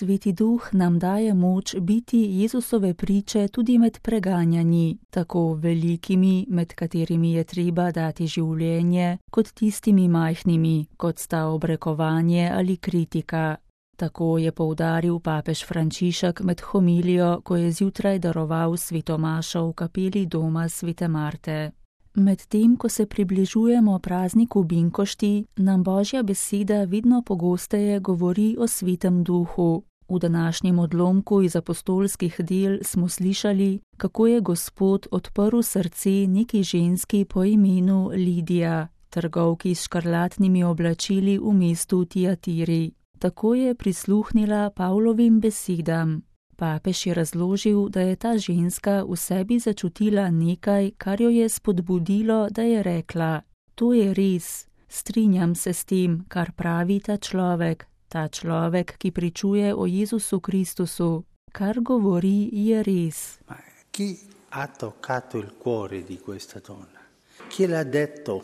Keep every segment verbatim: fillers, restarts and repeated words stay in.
Sveti Duh nam daje moč biti Jezusove priče tudi med preganjanji, tako velikimi, med katerimi je treba dati življenje, kot tistimi majhnimi, kot sta obrekovanje ali kritika. Tako je poudaril papež Frančišek med homilijo, ko je zjutraj daroval sveto mašo v kapeli doma svete Marte. Medtem, ko se približujemo prazniku Binkošti, nam Božja beseda vedno pogosteje govori o Svetem Duhu. V današnjem odlomku iz apostolskih del smo slišali, kako je Gospod odprl srce neki ženski po imenu Lidija, trgovki s škarlatnimi oblačili v mestu Tiatiri. Tako je prisluhnila Pavlovim besedam. Papež je razložil, da je ta ženska v sebi začutila nekaj, kar jo je spodbudilo, da je rekla: to je res, strinjam se s tem, kar pravi ta človek, ta človek, ki pričuje o Jezusu Kristusu. Kar govori, je res. Ma chi ha toccato il cuore di questa donna? Chi l'ha detto?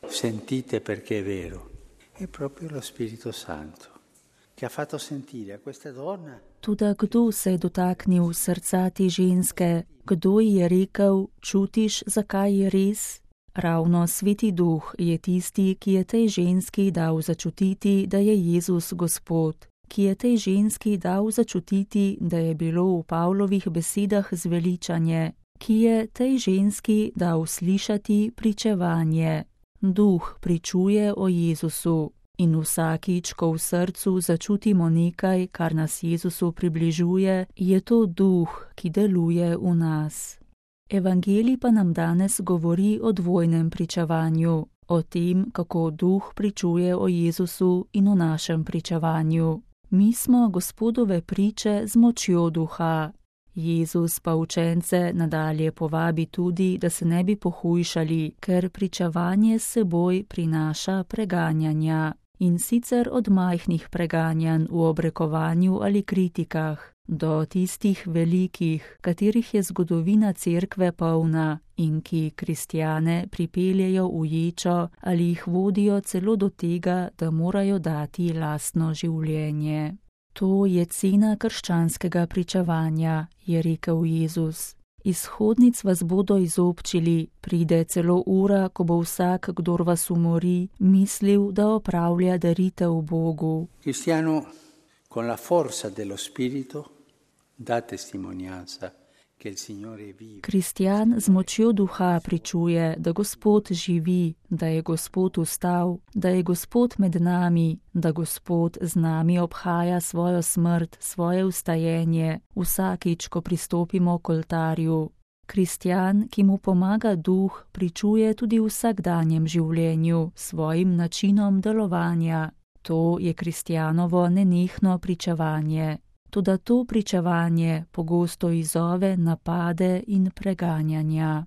Sentite perché è vero. È proprio lo Spirito Santo. Che ha fatto sentire a questa donna. Toda kdo se je dotaknil srca te ženske? Kdo ji je rekel: čutiš, zakaj je res? Ravno Sveti Duh je tisti, ki je tej ženski dal začutiti, da je Jezus Gospod, ki je tej ženski dal začutiti, da je bilo v Pavlovih besedah zveličanje, ki je tej ženski dal slišati pričevanje. Duh pričuje o Jezusu. In vsakič, ko v srcu začutimo nekaj, kar nas Jezusu približuje, je to Duh, ki deluje v nas. Evangelij pa nam danes govori o dvojnem pričevanju, o tem, kako Duh pričuje o Jezusu in o našem pričevanju. Mi smo Gospodove priče z močjo Duha. Jezus pa učence nadalje povabi tudi, da se ne bi pohujšali, ker pričevanje s seboj prinaša preganjanja. In sicer od majhnih preganjanj v obrekovanju ali kritikah, do tistih velikih, katerih je zgodovina cerkve polna in ki kristjane pripeljejo v ječo ali jih vodijo celo do tega, da morajo dati lastno življenje. To je cena krščanskega pričevanja, je rekel Jezus. Izhodnic vas bodo izobčili, pride celo ura, ko bo vsak, kdor vas umori, mislil, da opravlja daritev Bogu. Cristiano, con la forza dello Spirito, da testimonianza che il Signore vive. Kristjan z močjo Duha pričuje, da Gospod živi, da je Gospod vstal, da je Gospod med nami, da Gospod z nami obhaja svojo smrt, svoje vstajenje, vsakič, ko pristopimo k oltarju. Kristjan, ki mu pomaga Duh, pričuje tudi v vsakdanjem življenju, svojim načinom delovanja. To je kristjanovo nenehno pričevanje. Toda to pričevanje pogosto izzove napade in preganjanja.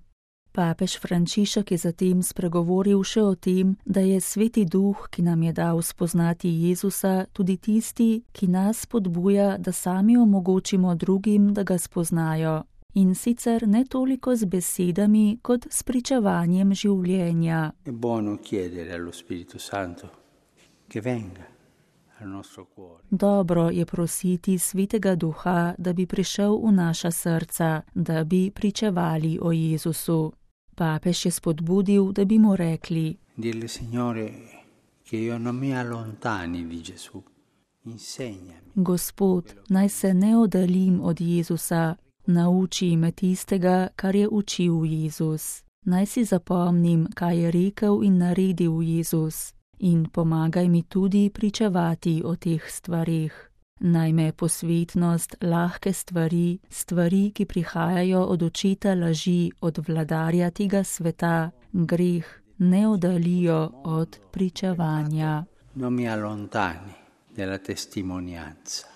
Papež Frančišek je zatem spregovoril še o tem, da je Sveti Duh, ki nam je dal spoznati Jezusa, tudi tisti, ki nas spodbuja, da sami omogočimo drugim, da ga spoznajo. In sicer ne toliko z besedami, kot s pričevanjem življenja. È buono chiedere allo Spirito Santo che venga. Dobro je prositi Svetega Duha, da bi prišel v naša srca, da bi pričevali o Jezusu. Papež je spodbudil, da bi mu rekli: Dirle, Signore, che io non mi allontani di Gesù. Insegnami. Gospod, naj se ne oddaljim od Jezusa, nauči me tistega, kar je učil Jezus. Naj si zapomnim, kaj je rekel in naredil Jezus. In pomagaj mi tudi pričevati o teh stvarih. Naj me posvetnost, lahke stvari, stvari, ki prihajajo od očeta laži, od vladarja tega sveta, greh, ne oddaljijo od pričevanja. Non mi allontani della testimonianza.